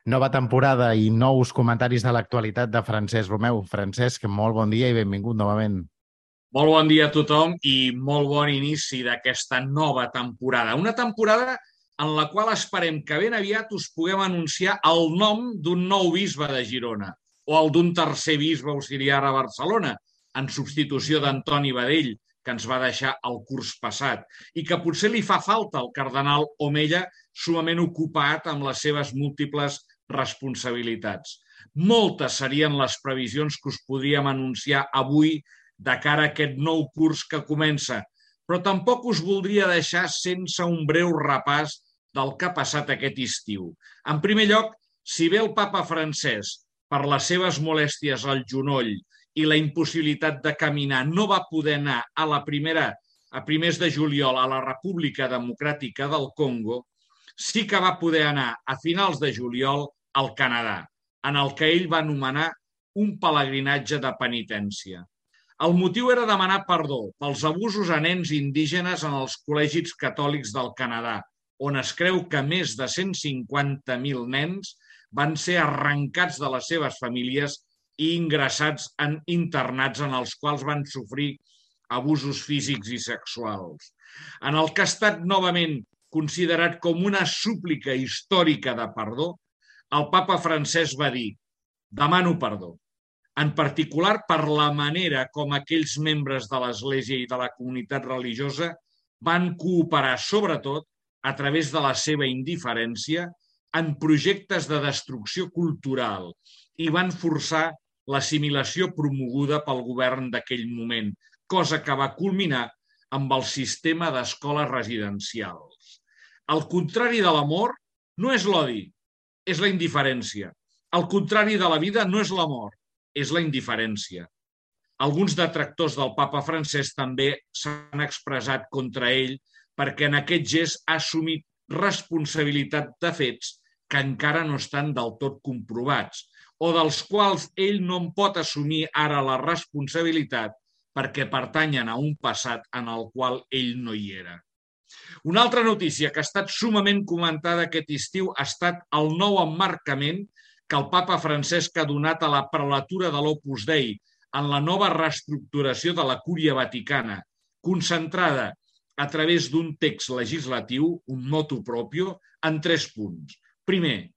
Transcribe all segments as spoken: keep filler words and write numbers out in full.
Nova temporada i nous comentaris de l'actualitat de Francesc Romeu. Francesc, molt bon dia i benvingut novament. Molt bon dia a tothom i molt bon inici d'aquesta nova temporada. Una temporada en la qual esperem que ben aviat us puguem anunciar el nom d'un nou bisbe de Girona o el d'un tercer bisbe auxiliar a Barcelona, en substitució d'Antoni Badell, que ens va deixar el curs passat, i que potser li fa falta al cardenal Omella, sumament ocupat amb les seves múltiples responsabilitats. Moltes serien les previsions que us podríem anunciar avui de cara a aquest nou curs que comença, però tampoc us voldria deixar sense un breu repàs del que ha passat aquest estiu. En primer lloc, si bé el papa Francesc, per les seves molèsties al genoll i la impossibilitat de caminar, no va poder anar a la primera, a primers de juliol a la República Democràtica del Congo, sí que va poder anar a finals de juliol al Canadà, en el que ell va anomenar un pelegrinatge de penitència. El motiu era demanar perdó pels abusos a nens indígenes en els col·legis catòlics del Canadà, on es creu que més de cent cinquanta mil nens van ser arrencats de les seves famílies i ingressats en internats en els quals van sofrir abusos físics i sexuals. En el que ha estat novament considerat com una súplica històrica de perdó, el papa Francesc va dir: demano perdó, en particular per la manera com aquells membres de l'Església i de la comunitat religiosa van cooperar, sobretot, a través de la seva indiferència, en projectes de destrucció cultural i van forçar l'assimilació promoguda pel govern d'aquell moment, cosa que va culminar amb el sistema d'escoles residencials. El contrari de l'amor no és l'odi, és la indiferència. El contrari de la vida no és la mort, és la indiferència. Alguns detractors del papa Francesc també s'han expressat contra ell perquè en aquest gest ha assumit responsabilitat de fets que encara no estan del tot comprovats o dels quals ell no en pot assumir ara la responsabilitat perquè pertanyen a un passat en el qual ell no hi era. Una altra notícia que ha estat sumament comentada aquest estiu ha estat el nou emmarcament que el papa Francesc ha donat a la prelatura de l'Opus Dei en la nova reestructuració de la Cúria Vaticana, concentrada a través d'un text legislatiu, un motu proprio, en tres punts. Primer,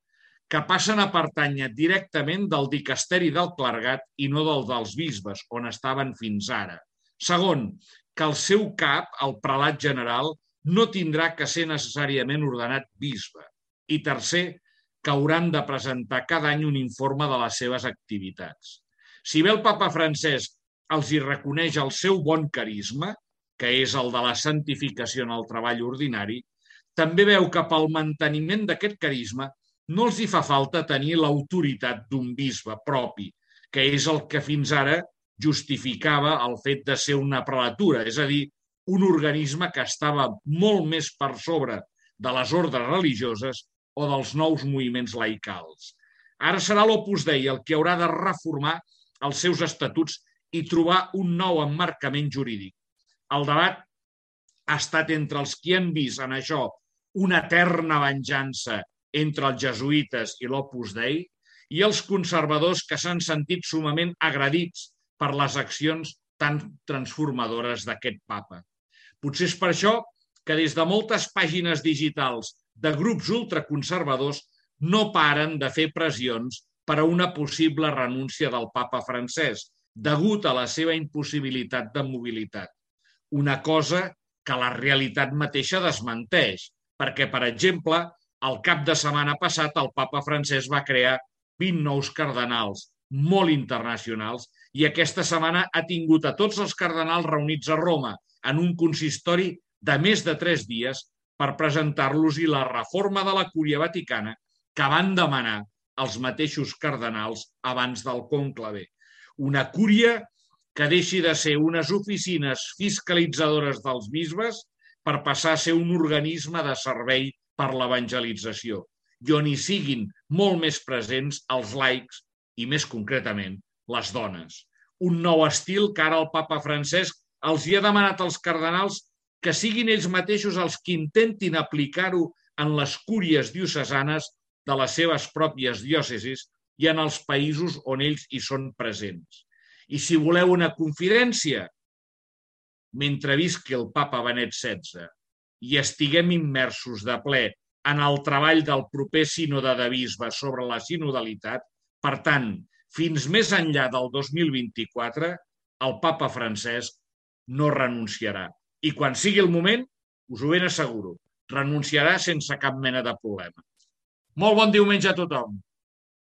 que passen a pertànyer directament del dicasteri del clergat i no del dels bisbes, on estaven fins ara. Segon, que el seu cap, el prelat general, no tindrà que ser necessàriament ordenat bisbe. I tercer, que hauran de presentar cada any un informe de les seves activitats. Si bé el papa Francesc els hi reconeix el seu bon carisma, que és el de la santificació en el treball ordinari, també veu que pel manteniment d'aquest carisma no els hi fa falta tenir l'autoritat d'un bisbe propi, que és el que fins ara justificava el fet de ser una prelatura, és a dir, un organisme que estava molt més per sobre de les ordres religioses o dels nous moviments laicals. Ara serà l'Opus Dei el que haurà de reformar els seus estatuts i trobar un nou emmarcament jurídic. El debat ha estat entre els qui han vist en això una eterna venjança entre els jesuïtes i l'Opus Dei i els conservadors que s'han sentit sumament agredits per les accions tan transformadores d'aquest papa. Potser és per això que des de moltes pàgines digitals de grups ultraconservadors no paren de fer pressions per a una possible renúncia del papa Francesc, degut a la seva impossibilitat de mobilitat. Una cosa que la realitat mateixa desmenteix, perquè, per exemple, el cap de setmana passat el papa Francesc va crear vint nous cardenals molt internacionals i aquesta setmana ha tingut a tots els cardenals reunits a Roma en un consistori de més de tres dies per presentar-los i la reforma de la Cúria Vaticana que van demanar els mateixos cardenals abans del conclave. Una cúria que deixi de ser unes oficines fiscalitzadores dels bisbes per passar a ser un organisme de servei per l'evangelització, i on hi siguin molt més presents els laics i, més concretament, les dones. Un nou estil que ara el papa Francesc els hi ha demanat als cardenals que siguin ells mateixos els que intentin aplicar-ho en les cúries diocesanes de les seves pròpies diòcesis i en els països on ells hi són presents. I si voleu una confidència, mentre visqui el papa Benet setze i estiguem immersos de ple en el treball del proper sínode de bisbes sobre la sinodalitat, per tant, fins més enllà del dos mil vint-i-quatre, el papa Francesc no renunciarà. I quan sigui el moment, us ho ben asseguro, renunciarà sense cap mena de problema. Molt bon diumenge a tothom.